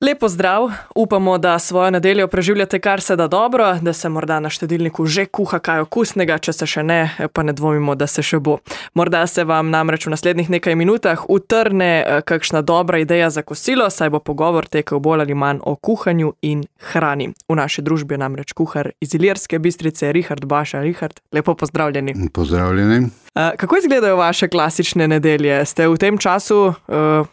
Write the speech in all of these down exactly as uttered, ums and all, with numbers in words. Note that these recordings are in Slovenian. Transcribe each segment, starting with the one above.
Lepo zdrav, upamo, da svojo nedeljo preživljate kar se da dobro, da se morda na štedilniku že kuha kaj okusnega, če se še ne, pa ne dvomimo, da se še bo. Morda se vam namreč v naslednjih nekaj minutah utrne kakšna dobra ideja za kosilo, saj bo pogovor tekel bolj ali manj o kuhanju in hrani. V naši družbi je namreč kuhar iz Ilirske Bistrice, Richard Baša. Richard, lepo pozdravljeni. Pozdravljeni. Kako izgledajo vaše klasične nedelje? Ste v tem času,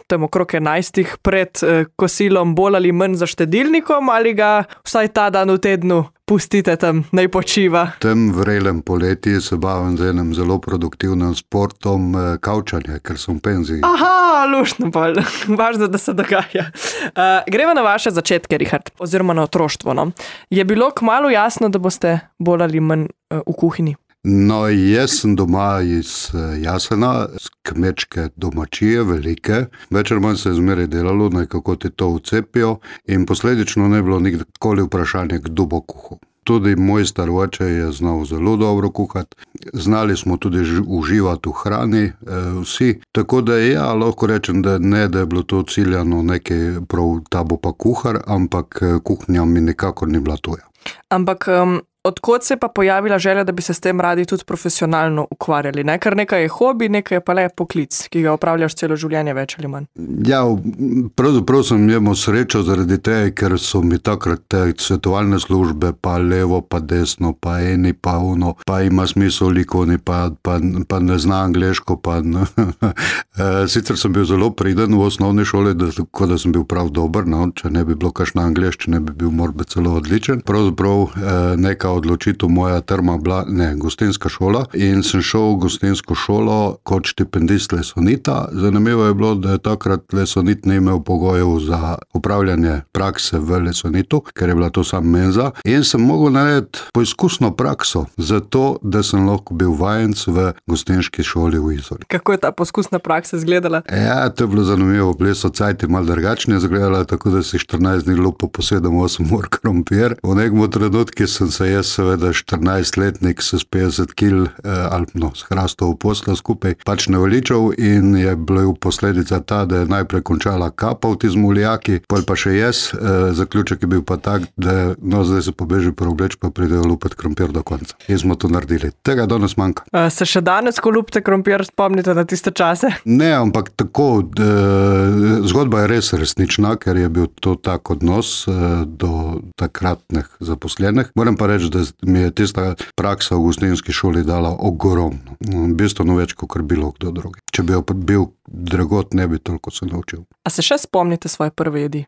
tem okrog enajstih pred kosilom, bolj ali manj za štedilnikom ali ga vsaj ta dan v tednu pustite tam, naj počiva? V tem vrelem poletju se bavim z enim zelo produktivnim sportom kavčanja, ker sem v penziji. Aha, luštno bolj. Važno, da se dogaja. Uh, gremo na vaše začetke, Richard, oziroma na otroštvo. No? Je bilo kmalu jasno, da boste bolj ali manj uh, v kuhinji? No, jaz sem doma iz Jasena, z kmečke domačije, velike. Večer manj se je zmeraj delalo, nekako ti to vcepijo in posledično ne bilo nikoli vprašanje, kdo bo kuhal. Tudi moj star oče je znal zelo dobro kuhati, znali smo tudi uživati v hrani, vsi. Tako da ja, lahko rečem, da ne, da je bilo to ciljano nekaj prav, ta bo pa kuhar, ampak kuhnja mi nikakor ni bila tuja. Ampak... Um... Odkot se je pa pojavila želja, da bi se s tem radi tudi profesionalno ukvarjali? Ne? Ker nekaj je hobi, nekaj je pa le poklic, ki ga opravljaš celo življenje več ali manj. Ja, pravzaprav sem imel srečo zaradi tega, ker so mi takrat te svetovalne službe, pa levo, pa desno, pa eni, pa uno, pa ima smisel likovni, pa, pa, pa ne zna angleško. Pa ne. Sicer sem bil zelo priden v osnovni šoli, da, tako da sem bil prav dober, no? Če ne bi bilo kakšna angleščina, ne bi bil morda celo odličen. Pravzaprav neka odločitev moja terma bila, ne, gostinska šola in sem šel v gostinsko šolo kot štipendist Lesonita. Zanimivo je bilo, da je takrat Lesonit ne imel pogojev za upravljanje prakse v Lesonitu, ker je bila to sam menza in sem mogel narediti poizkusno prakso za to, da sem lahko bil vajenc v gostinski šoli v Izoli. Kako je ta poskusna praksa izgledala? Ja, to je bilo zanimivo. Bili so cajti malo drugačne izgledala, tako da si štirinajst dni lupo po sedem osem ur krompir. V nekem trenutku sem se jaz seveda štirinajstletnik s petdeset kil eh, ali no, s hrastov posla skupaj pač naveličal in je bila posledica ta, da je najprej končala kapa v tizmu lijaki, pol pa še jaz. Eh, zaključek je bil pa tak, da no, zdaj se pobeži preobleč, pa pridejo lupati krompir do konca. In smo to naredili. Tega danes manjka. A se še danes, ko lupite krompir, spomnite na tiste čase? Ne, ampak tako, da, zgodba je res resnična, ker je bil to tak odnos eh, do takratnih zaposlenih. Moram pa reči, da mi je tista praksa v gostinski šoli dala ogromno. Bistveno več, kot bilo kdo drugi. Če bi bil dragot, ne bi toliko se naučil. A se še spomnite svoje prve jedi?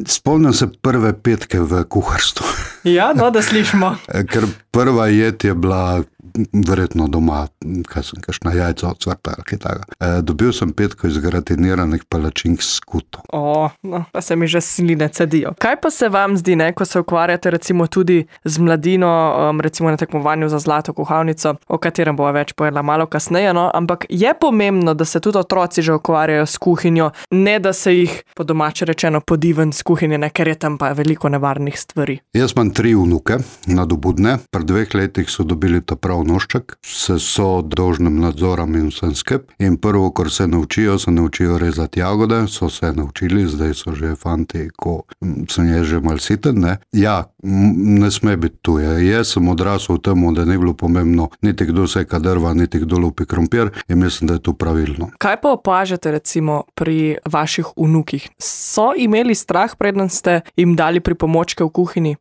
Spomnim se prve petke v kuharstvu. Ja, no, da slišimo. Ker prva jed je bila verjetno doma, kaj sem, kakšna jajca od cvrta ali kaj taka. E, dobil sem petko iz gratiniranih palačink s skuto. O, no, pa se mi že sline cedijo. Kaj pa se vam zdi, ne, ko se ukvarjate recimo tudi z mladino, um, recimo na tekmovanju za zlato kuhalnico, o katerem bova več povedala malo kasneje, no, ampak je pomembno, da se tudi otroci že ukvarjajo s kuhinjo, ne da se jih po domače rečeno podiven s kuhinje, ne, ker je tam pa veliko nevarnih stvari. Jaz imam tri vnuke, nadobudne, pri dveh letih so dobili ta prav nošček, se so dolžnim nadzorom in vsem skep. In prvo, kar se naučijo, se naučijo rezati jagode, so se naučili, zdaj so že fanti, ko sem je že mal siten, ne. Ja, ne sme biti tuje. Jaz sem odrasel v temu, da ni bilo pomembno niti kdo seka drva, niti kdo lupi krompir in mislim, da je to pravilno. Kaj pa opažate recimo pri vaših vnukih? So imeli strah, preden ste jim dali pripomočke v kuhinji?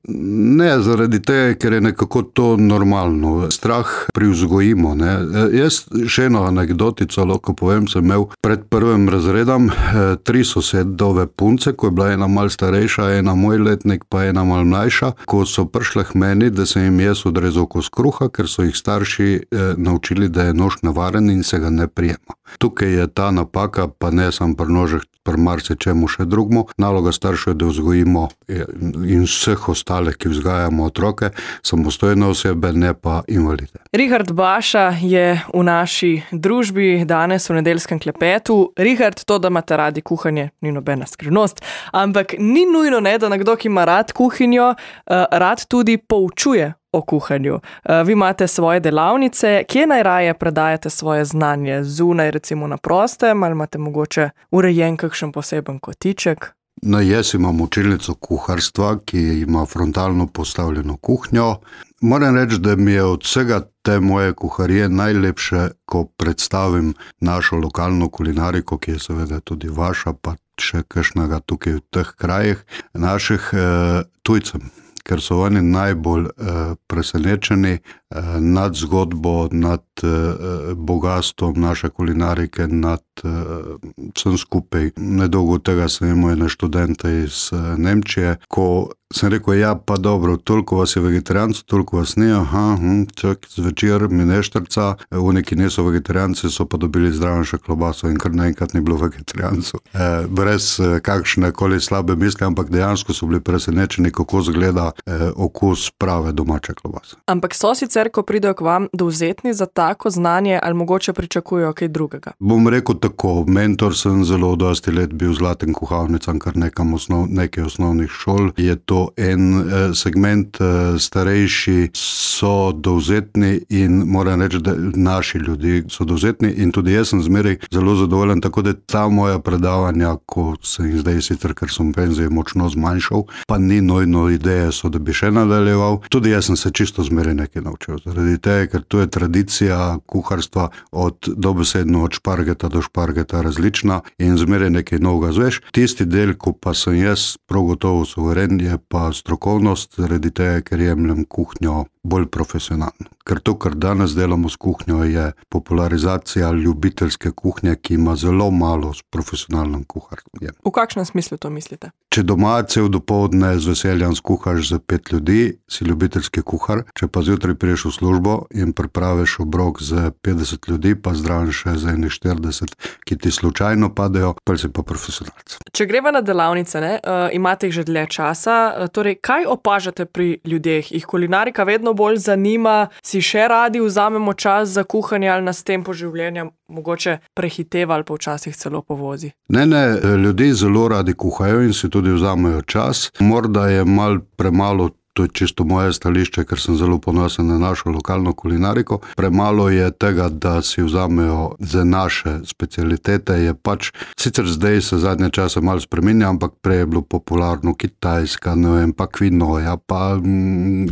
Ne, zaradi tega, ker je nekako to normalno. Strah privzgojimo, ne. Jaz še eno anekdotico lahko povem, sem imel pred prvim razredom tri sosedove punce, ko je bila ena mal starejša, ena moj letnik, pa ena mal mlajša, ko so prišle k meni, da sem jim jaz odrezal kos kruha, ker so jih starši eh, naučili, da je nož nevaren in se ga ne prijema. Tukaj je ta napaka, pa ne sam pri nožeh, pri marsičemu še drugmu. Naloga staršev je, da vzgojimo in vseh ostalih, ki vzgajamo otroke, samostojne osebe, ne pa invalide. Richard Baša je v naši družbi danes v nedeljskem klepetu. Richard, to, da imate radi kuhanje, ni nobena skrivnost, ampak ni nujno, ne, da nekdo, ki ima rad kuhinjo, rad tudi poučuje o kuhanju. Vi imate svoje delavnice, kje najraje predajate svoje znanje? Zunaj, recimo na prostem, ali imate mogoče urejen kakšen poseben kotiček? No, jaz imam učilnico kuharstva, ki ima frontalno postavljeno kuhnjo. Moram reči, da mi je od vsega te moje kuharije najlepše, ko predstavim našo lokalno kulinariko, ki je seveda tudi vaša, pa še kakšnega tukaj v teh krajih, naših eh, tujcem. Ker so oni najbolj eh, presenečeni eh, nad zgodbo, nad eh, bogatstvom naše kulinarike, nad eh, vsem skupaj. Nedolgo tega sem imel ene študente iz eh, Nemčije, ko sem rekel, ja, pa dobro, toliko vas je vegetarijancev, toliko vas ni, aha, hm, čak zvečer mi neštrca, oni, ki niso vegetarijanci, so pa dobili zdraven še klobaso in kar naenkrat ni bilo vegetarijancev. Eh, brez eh, kakšne koli slabe misli, ampak dejansko so bili presenečeni, kako zgleda eh, okus prave domače klobase. Ampak so sicer, ko pridejo k vam, dovzetni za tako znanje ali mogoče pričakujejo kaj drugega? Bom rekel tako, mentor sem zelo dosti let bil zlatim kuhalnicam, kar nekam osnov, nekaj osnovnih šol. Je to en eh, segment, eh, starejši so dovzetni in moram reči, da naši ljudi so dovzetni in tudi jaz sem zmeraj zelo zadovoljen, tako da ta moja predavanja, ko sem jih zdaj sicer, ker sem penzije močno zmanjšal, pa ni nojno ideje so, da bi še nadaljeval. Tudi jaz sem se čisto zmeraj nekaj naučil. Zaradi tega, ker to je tradicija kuharstva od dobesedno od špargeta do špargeta različna in zmeraj nekaj novega zveš. Tisti del, ko pa sem jaz prav gotovo suveren, je pa strokovnost, zaradi tega, ker jemljem kuhnjo bolj profesionalno. Ker to, kar danes delamo s kuhnjo, je popularizacija ljubiteljske kuhnje, ki ima zelo malo s profesionalnim kuharjem. V kakšnem smislu to mislite? Če doma cel dopoldne z veseljem skuhaš za pet ljudi, si ljubiteljski kuhar, če pa zjutraj priješ v službo in pripraviš obrok za petdeset ljudi, pa zdraven še za ene štirideset, ki ti slučajno padejo, pa si pa profesionalc. Če greva na delavnice, ne, uh, imate jih že dlje časa, uh, torej kaj opažate pri ljudeh? Jih kulinarika vedno bolj zanima, si še radi vzamemo čas za kuhanje ali nas tempo življenja mogoče prehiteva ali pa včasih celo povozi? Ne, ne, ljudi zelo radi kuhajo in si tudi vzamejo čas. Morda je mal premalo, to je čisto moje stališče, ker sem zelo ponosen na našo lokalno kulinariko. Premalo je tega, da si vzamejo za naše specialitete, je pač, sicer zdaj se zadnje čase malo spreminja, ampak prej je bilo popularno Kitajska, ne vem, pa kvinoja, pa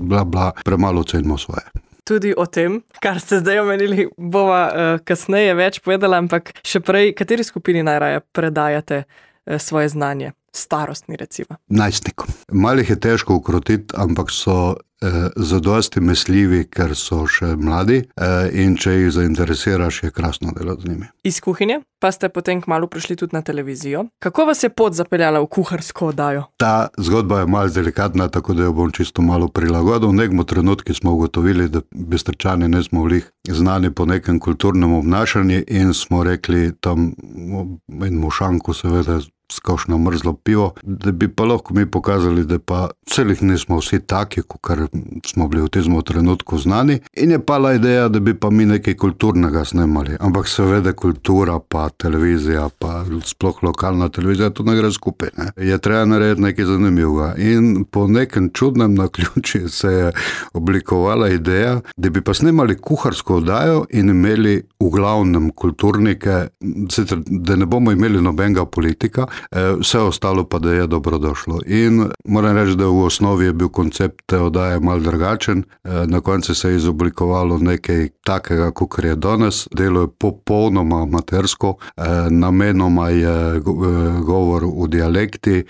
bla bla, premalo cenimo svoje. Tudi o tem, kar ste zdaj omenili, bova uh, kasneje več povedala, ampak še prej, kateri skupini najraje predajate uh, svoje znanje? Starostni, recimo. Najstnikom. Malih je težko ukrotiti, ampak so eh, zadosti mesljivi, ker so še mladi eh, in če jih zainteresiraš, je krasno delati z njimi. Iz kuhinje pa ste potem kmalu prišli tudi na televizijo. Kako vas je pot zapeljala v kuharsko oddajo? Ta zgodba je malo delikatna, tako da jo bom čisto malo prilagodil. V nekem trenutku smo ugotovili, da Bistričani ne smo vlih znani po nekem kulturnem obnašanju in smo rekli tam en mošanku seveda skošno mrzlo pivo, da bi pa lahko mi pokazali, da pa celih nismo vsi taki, kar smo bili v tem trenutku znani. In je pala ideja, da bi pa mi nekaj kulturnega snemali. Ampak seveda kultura, pa televizija, pa sploh lokalna televizija, to ne gre skupaj. Ne? Je treba narediti nekaj zanimivega. In po nekem čudnem naključju se je oblikovala ideja, da bi pa snemali kuharsko oddajo in imeli v glavnem kulturnike, sicer, da ne bomo imeli nobenega politika, vse ostalo pa, da je dobrodošlo. In moram reči, da v osnovi je bil koncept te oddaje malo drugačen. Na koncu se je izoblikovalo nekaj takega, kot je danes. Delo je popolnoma amatersko, namenoma je govor v dialekti,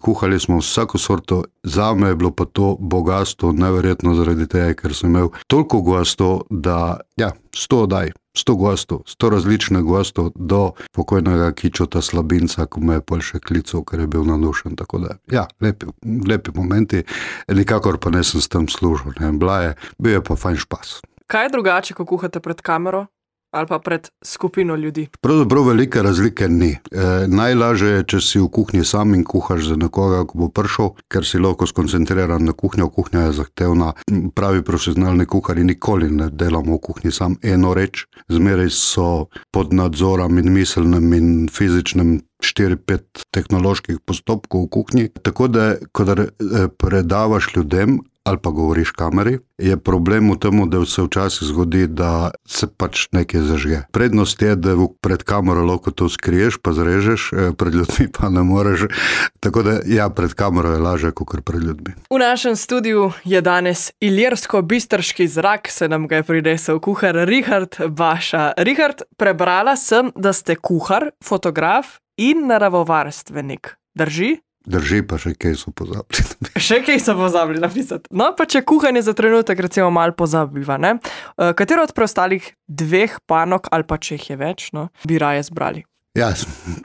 kuhali smo vsako sorto. Zame je bilo pa to bogatstvo neverjetno zaradi tega, ker sem imel toliko gostov, da ja, sto oddaj. sto gostov, sto različnih gostov do pokojnega Kičota Slabinca, ko me je pol še klical, ker je bil nadušen. Tako da, ja, lepi, lepi momenti, nikakor pa nisem s tem služil. Ne, bila je, bil je pa fajn špas. Kaj je drugače, ko kuhate pred kamero ali pa pred skupino ljudi? Pravzaprav velike razlike ni. E, najlažje je, če si v kuhinji sam in kuhaš za nekoga, ko bo prišel, ker si lahko skoncentriran na kuhnjo. Kuhnja je zahtevna. Pravi profesionalni kuhari nikoli ne delamo v kuhinji sam eno reč. Zmeraj so pod nadzorom in miselnem in fizičnem štiri pet tehnoloških postopkov v kuhinji. Tako da, ko predavaš ljudem, ali pa govoriš kameri, je problem v tem, da se včasih zgodi, da se pač nekaj zažge. Prednost je, da pred kamero lahko to skriješ, pa zrežeš, pred ljudmi pa ne moreš. Tako da ja, pred kamero je lažje, kot pred ljudmi. V našem studiu je danes ilirsko-bistrški zrak, se nam ga je prinesel kuhar Richard Baša. Richard, prebrala sem, da ste kuhar, fotograf in naravovarstvenik. Drži? Drži, pa še kaj so pozabili. Še kaj so pozabili napisati. No, pa če kuhanje za trenutek recimo malo pozabiva, ne? Katero od preostalih dveh panog, ali pa če jih je več, no, bi raje zbrali? Ja,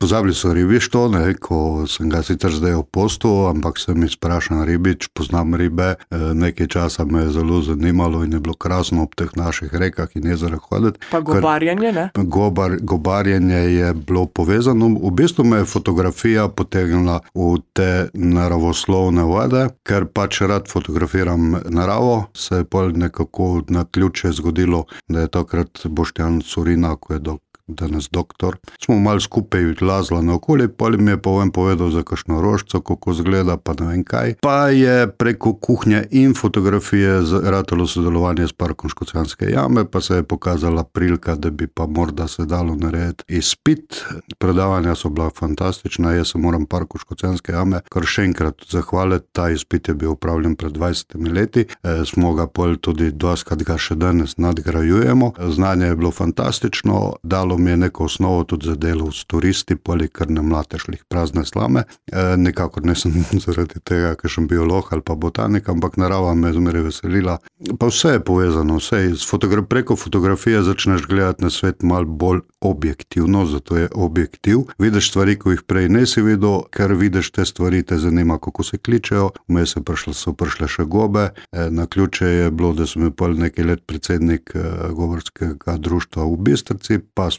pozabili so ribištvo, ne, ko sem ga sicer zdaj opostil, ampak sem izprašan ribič, poznam ribe, nekaj časa me je zelo zanimalo in je bilo krasno ob teh naših rekah in jezerah hoditi. Pa gobarjenje, ne? Gobar, gobarjenje je bilo povezano, v bistvu me je fotografija potegnila v te naravoslovne vode, ker pač rad fotografiram naravo, se je pol nekako na ključe zgodilo, da je takrat Boštjan Curina, ko je dok danes doktor. Smo malo skupaj lazla na okolje, pa mi je povem povedal za kakšno rožco, kako zgleda, pa ne vem kaj. Pa je preko kuhnje in fotografije ratalo sodelovanje s Parkom Škocjanske jame, pa se je pokazala prilika, da bi pa morda se dalo narediti izpit. Predavanja so bila fantastična, jaz se moram Parku Škocjanske jame kar še enkrat zahvaliti. Ta izpit je bil upravljen pred dvajsetimi leti, e, smo ga pol tudi doskrat ga še danes nadgrajujemo. Znanje je bilo fantastično, dalo mi je neko osnovo tudi za delo s turisti, poli kar ne mlatešlih prazne slame. E, nekako nisem zaradi tega, ker sem biolog ali pa botanik, ampak narava me je zmeraj veselila. Pa vse je povezano, vse je, fotogra- preko fotografije začneš gledati na svet malo bolj objektivno, zato je objektiv. Vidiš stvari, ko jih prej nisi videl, ker vidiš te stvari, te zanima, kako se kličejo. Vmes so prišle še gobe. E, na ključe je bilo, da sem pol nekaj let predsednik e, govorskega društva v Bistrici, pa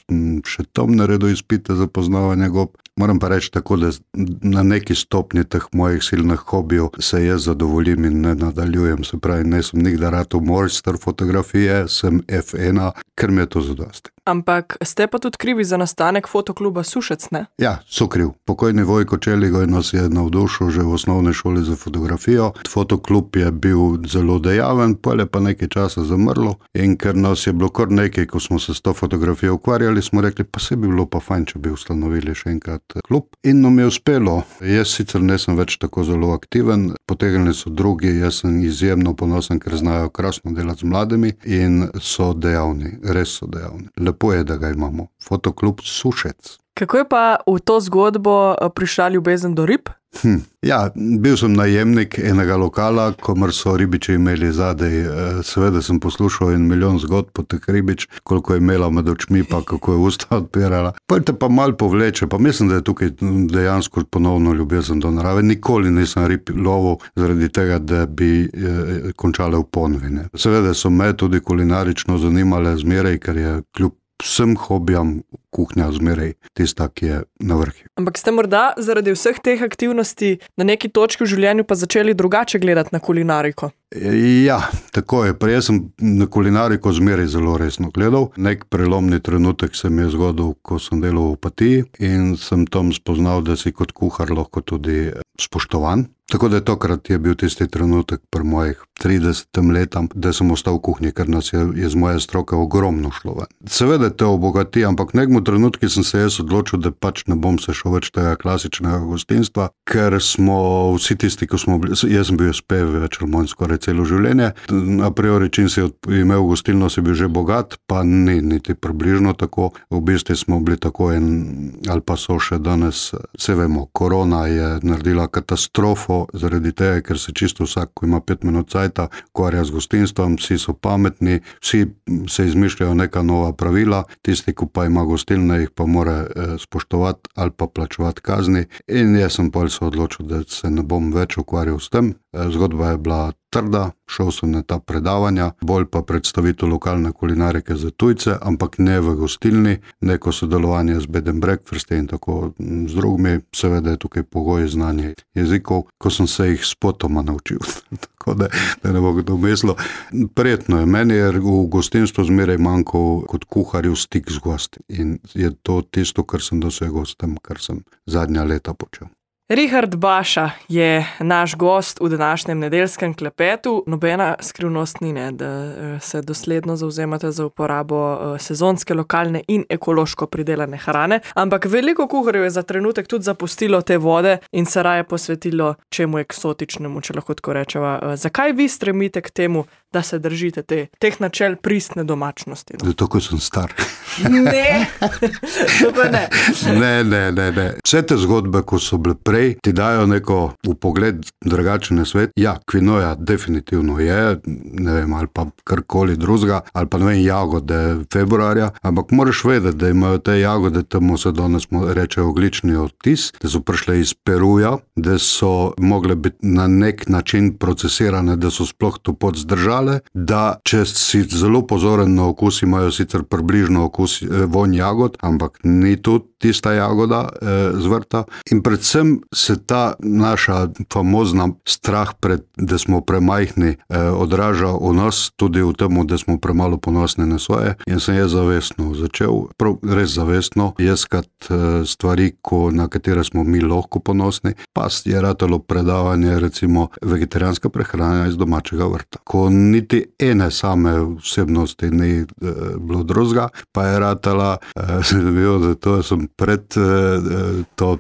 še tam naredil izpite za poznavanje gob. Moram pa reči tako, da na neki stopni teh mojih silnih hobijev se jaz zadovoljim in ne nadaljujem. Se pravi, ne sem nikdar rad mojster fotografije, sem F ena, ker mi je to zadosti. Ampak ste pa tudi krivi za nastanek fotokluba Sušec, ne? Ja, so kriv. Pokojni Vojko Čeligoj nas je navdušil že v osnovni šoli za fotografijo. Fotoklub je bil zelo dejaven, pol je pa nekaj časa zamrlo in ker nas je bilo kar nekaj, ko smo se s to fotografijo ukvarjali, smo rekli, pa se bi bilo pa fajn, če bi ustanovili še enkrat klub. In nam je uspelo. Jaz sicer nisem več tako zelo aktiven, potegnili so drugi, jaz sem izjemno ponosen, ker znajo krasno delati z mladimi in so dejavni, res so dejavni. Lepo je, da ga imamo. Fotoklub Sušec. Kako je pa v to zgodbo prišla ljubezen do rib? Hm. Ja, bil sem najemnik enega lokala, komar so ribiči imeli zadej. Seveda sem poslušal en milijon zgodb po teh ribič, koliko je imela med očmi, pa kako je usta odpirala. Pa te pa mal povleče, pa mislim, da je tukaj dejansko ponovno ljubezen do narave. Nikoli nisem rib lovil zaradi tega, da bi eh, končale v ponvine. Seveda so me tudi kulinarično zanimale zmeraj, ker je kljub vsem hobijam kuhnja zmeraj tista, ki je na vrhu. Ampak ste morda zaradi vseh teh aktivnosti na neki točki v življenju pa začeli drugače gledati na kulinariko? Ja, tako je. Pa jaz sem na kulinariko zmeraj zelo resno gledal. Nek prelomni trenutek se mi je zgodil, ko sem delal v Opatiji in sem tam spoznal, da si kot kuhar lahko tudi spoštovan. Tako da tokrat je bil tisti trenutek pri mojih tridesetem letam, da sem ostal v kuhinji, ker nas je iz moje stroke ogromno šlo ven. Seveda te obogati, ampak v nekem trenutku sem se jaz odločil, da pač ne bom se šel več tega klasičnega gostinstva, ker smo vsi tisti, ko smo bili, jaz sem bil spev več ali manj skoraj celo življenje. A priori, čim si imel gostilno, si bil že bogat, pa ni niti približno tako. V bistvu smo bili tako en, ali pa so še danes, se vemo, korona je naredila katastrofo zaradi tega, ker se čisto vsak, ko ima pet minut cajta, ukvarja z gostinstvom, vsi so pametni, vsi se izmišljajo neka nova pravila, tisti, ko pa ima gostilne, jih pa mora eh, spoštovati ali pa plačevati kazni. In jaz sem pol se odločil, da se ne bom več ukvarjal s tem. Zgodba je bila trda, šel sem na ta predavanja, bolj pa predstavitev lokalne kulinarike za tujce, ampak ne v gostilni, neko sodelovanje z bed and breakfast in tako z drugimi, seveda je tukaj pogoj znanje jezikov, ko sem se jih spotoma naučil. Tako da, da ne bo kdo mislil. Prijetno je, meni je v gostinstvu zmeraj manjkal kot kuharju stik z gosti in je to tisto, kar sem dosegel s tem, kar sem zadnja leta počel. Richard Baša je naš gost v današnjem nedeljskem klepetu. Nobena skrivnost ni, ne, da se dosledno zauzemate za uporabo sezonske, lokalne in ekološko pridelane hrane, ampak veliko kuharjev je za trenutek tudi zapustilo te vode in se raje posvetilo čemu eksotičnemu, če lahko tako rečeva. Zakaj vi stremite k temu, da se držite te, teh načel pristne domačnosti? No? Zato, ko sem star. Ne, to pa ne. Ne, ne, ne, ne. Vse te zgodbe, ko so bile prej, ti dajo neko upogled drugačen na svet. Ja, kvinoja definitivno je, ne vem, ali pa karkoli drugega, ali pa ne vem, jagode februarja, ampak moraš vedeti, da imajo te jagode, temu se danes reče oglični odtis, da so prišle iz Peruja, da so mogle biti na nek način procesirane, da so sploh to pot zdržale, da če si zelo pozoren na okus, imajo sicer približno okus vonj jagod, ampak ni tu tista jagoda eh, z vrta. In predvsem se ta naša famozna strah pred, da smo premajhni, eh, odraža v nas, tudi v temu, da smo premalo ponosni na svoje. In sem jaz zavestno začel, prav res zavestno, jeskat eh, stvari, ko, na katere smo mi lahko ponosni. Pa je ratalo predavanje, recimo vegetarijanska prehrana iz domačega vrta. Ko niti ene same vsebnosti ni eh, bilo drugega, pa je ratala, eh, zanimivo, da to sem pred eh, to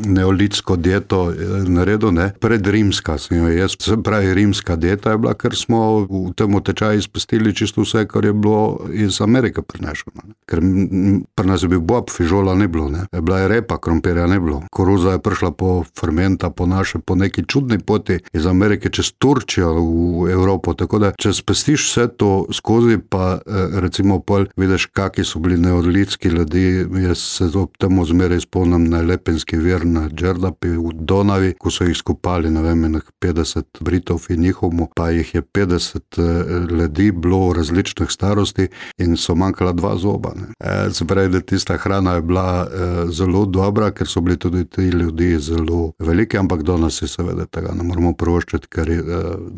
neolitsko dieto naredil, ne, pred rimska sem jo jaz, se pravi rimska dieta je bila, ker smo v tem tečaju izpustili čisto vse, kar je bilo iz Amerike prinešeno. Ker pri nas je bil bob, fižola ne bilo, ne. Bila je repa, krompirja ne bilo. Koruza je prišla po fermenta, po naše, po neki čudni poti iz Amerike čez Turčijo v Evropo, tako da če spestiš vse to skozi, pa recimo pol vidiš, kaki so bili neolitski ljudi, jaz se ob temu zmeraj spomnim na Lepenski vir na Džerdapi v Donavi, ko so jih skupali, ne vem, petdeset Britov in njihomu, pa jih je petdeset ljudi bilo v različnih starosti in so manjkala dva zoba. Ne. E, se pravi, da tista hrana je bila e, zelo dobra, ker so bili tudi ti ljudi zelo veliki, ampak do nas je seveda tega ne moramo proščiti, ker e,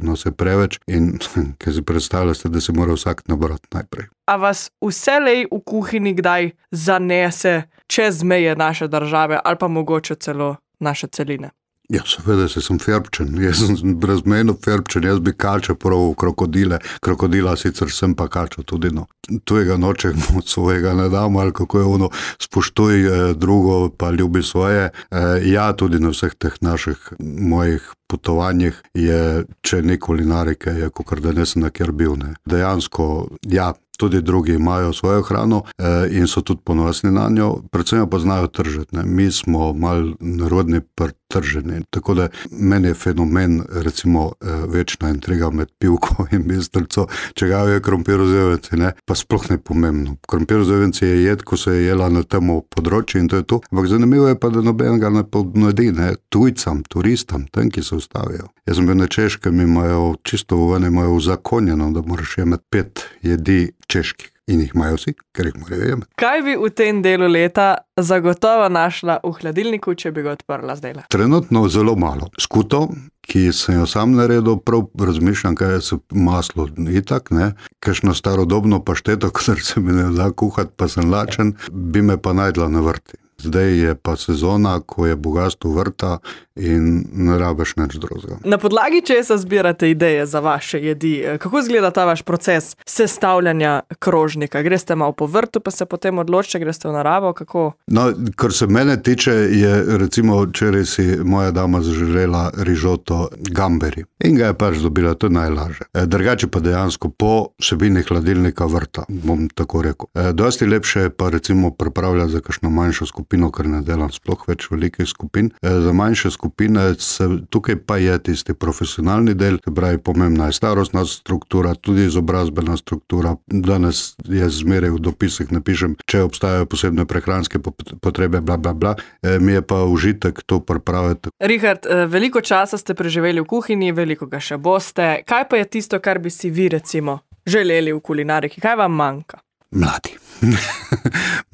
nas je preveč in ker si predstavljate, da se mora vsak nabrati najprej. A vas vselej v kuhinji kdaj zanese čez meje naše države ali pa mogoče celo naše celine? Ja, seveda se sem ferbčen, jaz sem brezmejno ferbčen, jaz bi kača prav krokodile, krokodila sicer sem pa kača tudi, no. Tujega nočemo, svojega ne damo, ali kako je ono, spoštuj eh, drugo, pa ljubi svoje. Eh, ja, tudi na vseh teh naših mojih potovanjih je, če ni kulinarike, je kakor da ne sem nakjer bil, ne. Dejansko, ja, tudi drugi imajo svojo hrano eh, in so tudi ponosni na njo, predvsem pa znajo tržiti, ne. Mi smo mal narodni prtrženi, tako da meni je fenomen, recimo, eh, večna intriga med pivko in bistrico, če ga je krompirozjevenci, ne, pa sploh ne pomembno. Krompirozjevenci je jed, ko se je jela na temu področju in to je to, ampak zanimivo je pa, da nobenega ne ponudi, ne, tujcam, turistam, tem, ki se ustavijo. Jaz sem bil na Češkem, imajo čisto ven, imajo uzakonjeno, da moraš imeti pet jedi čeških. In jih imajo vsi, ker jih morajo imeti. Kaj bi v tem delu leta zagotovo našla v hladilniku, če bi ga odprla zdajle? Trenutno zelo malo. Skuto, ki sem jo sam naredil, prav razmišljam, kaj je se maslo itak, ne. Kakšno starodobno pašteto, ker se mi ne da kuhati, pa sem lačen, bi me pa najdla na vrti. Zdaj je pa sezona, ko je bogatstvo vrta in ne rabiš nič drugega. Na podlagi česa zbirate ideje za vaše jedi? Kako izgleda ta vaš proces sestavljanja krožnika? Greste malo po vrtu, pa se potem odločite, greste v naravo, kako? No, kar se mene tiče, je recimo včeraj si moja dama zaželela rižoto gamberi in ga je pač dobila, to je najlažje. E, drugače pa dejansko po vsebini hladilnika vrta, bom tako rekel. E, dosti lepše je pa recimo pripravljati za kakšno manjšo skupino, ker ne delam sploh več velikih skupin. E, za manjše skupine se, tukaj pa je tisti profesionalni del, se pravi, pomembna je starostna struktura, tudi izobrazbena struktura. Danes je zmeraj v dopisih napišem, če obstajajo posebne prehranske potrebe, bla, bla, bla. E, mi je pa užitek to pripraviti. Richard, veliko časa ste preživeli v kuhinji, veliko ga še boste. Kaj pa je tisto, kar bi si vi recimo želeli v kulinariki? Kaj vam manjka? Mladi.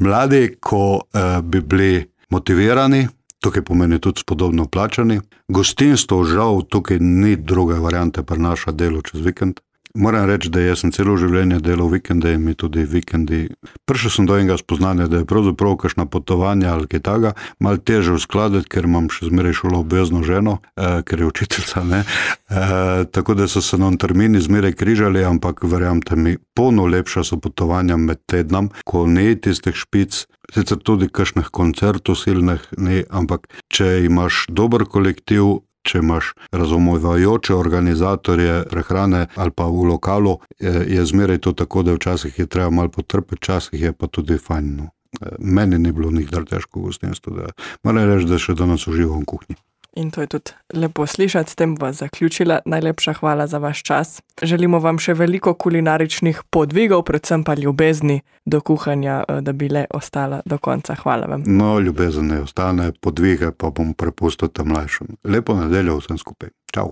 Mladi, ko uh, bi bili motivirani, tukaj pomeni tudi spodobno plačani. Gostinstvo, žal, tukaj ni druge variante pri naša delu čez vikend. Moram reči, da jaz sem celo življenje delal vikende in mi tudi vikendi. Prišel sem do enega spoznanja, da je pravzaprav kakšna potovanja ali kaj takega malo teže uskladiti, ker imam še zmeraj šolo obvezno ženo, eh, ker je učiteljica, ne. Eh, tako da so se nam termini zmeraj križali, ampak verjamte mi, polno lepša so potovanja med tednom, ko ni tistih špic, sicer tudi kakšnih koncertov silnih, ne, ampak če imaš dober kolektiv, če imaš razumevajoče organizatorje prehrane ali pa v lokalu, je zmeraj to tako, da včasih je treba malo potrpeti, včasih je pa tudi fajn. No. Meni ni bilo nikdar težko v gostinstvu, da moram reči, da še danes uživam v kuhinji. In to je tudi lepo slišati, s tem bova zaključila. Najlepša hvala za vaš čas. Želimo vam še veliko kulinaričnih podvigov, predvsem pa ljubezni do kuhanja, da bi le ostala do konca. Hvala vam. No, ljubezen ne ostane, podvige pa bom prepustil tem mlajšim. Lepo nedeljo vsem skupaj. Čau.